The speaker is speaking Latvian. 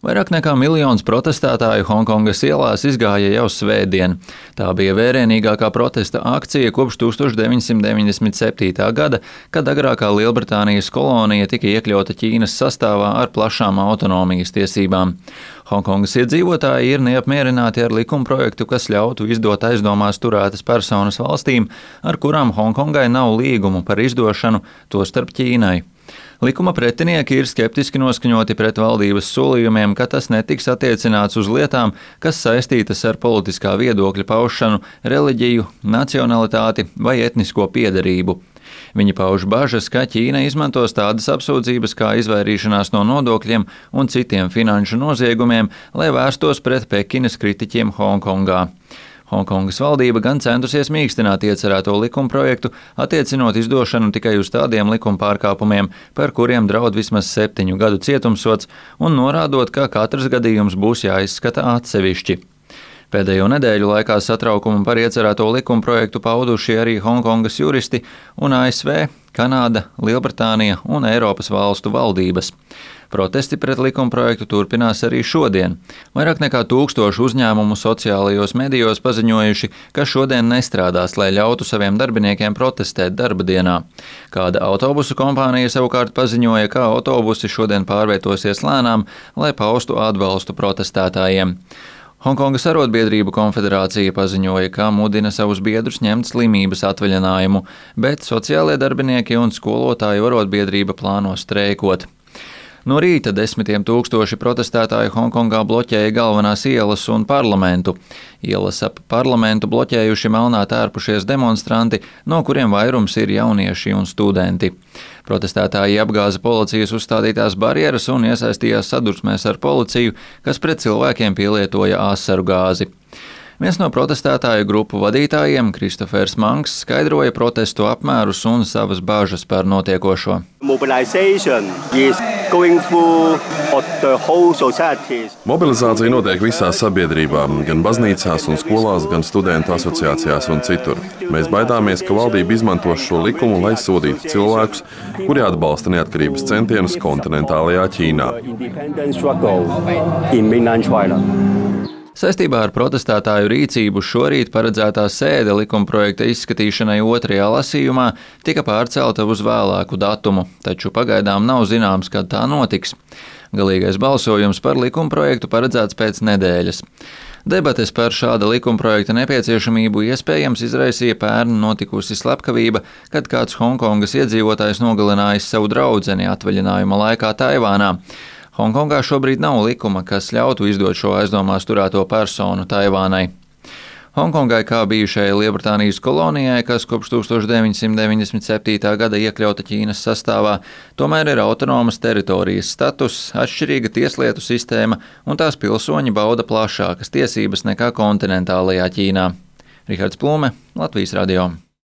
Vairāk nekā miljons protestētāju Honkongas ielās izgāja jau svētdien. Tā bija vērienīgākā protesta akcija kopš 1997. gada, kad agrākā Lielbritānijas kolonija tika iekļauta Ķīnas sastāvā ar plašām autonomijas tiesībām. Honkongas iedzīvotāji ir neapmierināti ar likumprojektu, kas ļautu izdot aizdomās turētas personas valstīm, ar kurām Honkongai nav līgumu par izdošanu, tostarp Ķīnai. Likuma pretinieki ir skeptiski noskaņoti pret valdības solījumiem, ka tas netiks attiecināts uz lietām, kas saistītas ar politiskā viedokļa paušanu, reliģiju, nacionalitāti vai etnisko piederību. Viņi pauž bažas, ka Ķīna izmantos tādas apsūdzības kā izvairīšanās no nodokļiem un citiem finanšu noziegumiem, lai vērstos pret Pekinas kritiķiem Hongkongā. Honkongas valdība gan centusies mīkstināt iecerēto likumprojektu, attiecinot izdošanu tikai uz tādiem likuma pārkāpumiem, par kuriem draud vismaz 7 gadu cietumsods, un norādot, ka katrs gadījums būs jāizskata atsevišķi. Pēdējo nedēļu laikā satraukumu par iecerēto likumprojektu pauduši arī Honkongas juristi un ASV, Kanāda, Lielbritānija un Eiropas valstu valdības. Protesti pret likumprojektu turpinās arī šodien. Vairāk nekā 1000 uzņēmumu sociālajos medijos paziņojuši, ka šodien nestrādās, lai ļautu saviem darbiniekiem protestēt darba dienā. Kāda autobusu kompānija savukārt paziņoja, ka autobusi šodien pārvietosies lēnām, lai paustu atbalstu protestētājiem. Honkongas arotbiedrību konfederācija paziņoja, ka mudina savus biedrus ņemt slimības atvaļinājumu, bet sociālie darbinieki un skolotāju arotbiedrība plāno streikot. No rīta 10 000 protestētāju Honkongā bloķēja galvenās ielas un parlamentu. Ielas ap parlamentu bloķējuši melnā tērpušies demonstranti, no kuriem vairums ir jaunieši un studenti. Protestētāji apgāza policijas uzstādītās barjeras un iesaistījās sadursmēs ar policiju, kas pret cilvēkiem pielietoja asaru gāzi. Viens no protestētāju grupu vadītājiem, Kristofers Manks, skaidroja protestu apmērus un savas bažas par notiekošo. Mobilizācija notiek visā sabiedrībā, gan baznīcās un skolās, gan studentu asociācijās un citur. Mēs baidāmies, ka valdība izmantos šo likumu, lai sodītu cilvēkus, kuri atbalsta neatkarības centienus kontinentālajā Ķīnā. Saistībā ar protestētāju rīcību šorīt paredzētā sēde likumprojekta izskatīšanai otrajā lasījumā tika pārcelta uz vēlāku datumu, taču pagaidām nav zināms, kad tā notiks. Galīgais balsojums par likumprojektu paredzēts pēc nedēļas. Debates par šāda likumprojekta nepieciešamību iespējams izraisīja pērn notikusi slepkavība, kad kāds Honkongas iedzīvotājs nogalinājis savu draudzeni atvaļinājuma laikā Taivānā. Hongkongā šobrīd nav likuma, kas ļautu izdot šo aizdomās turēto personu Taivānai. Hongkongai kā bijušajai Lielbritānijas kolonijai, kas kopš 1997. gada iekļauta Ķīnas sastāvā, tomēr ir autonomas teritorijas status, atšķirīga tieslietu sistēma un tās pilsoņi bauda plašākas tiesības nekā kontinentālajā Ķīnā. Rihards Plume, Latvijas radio.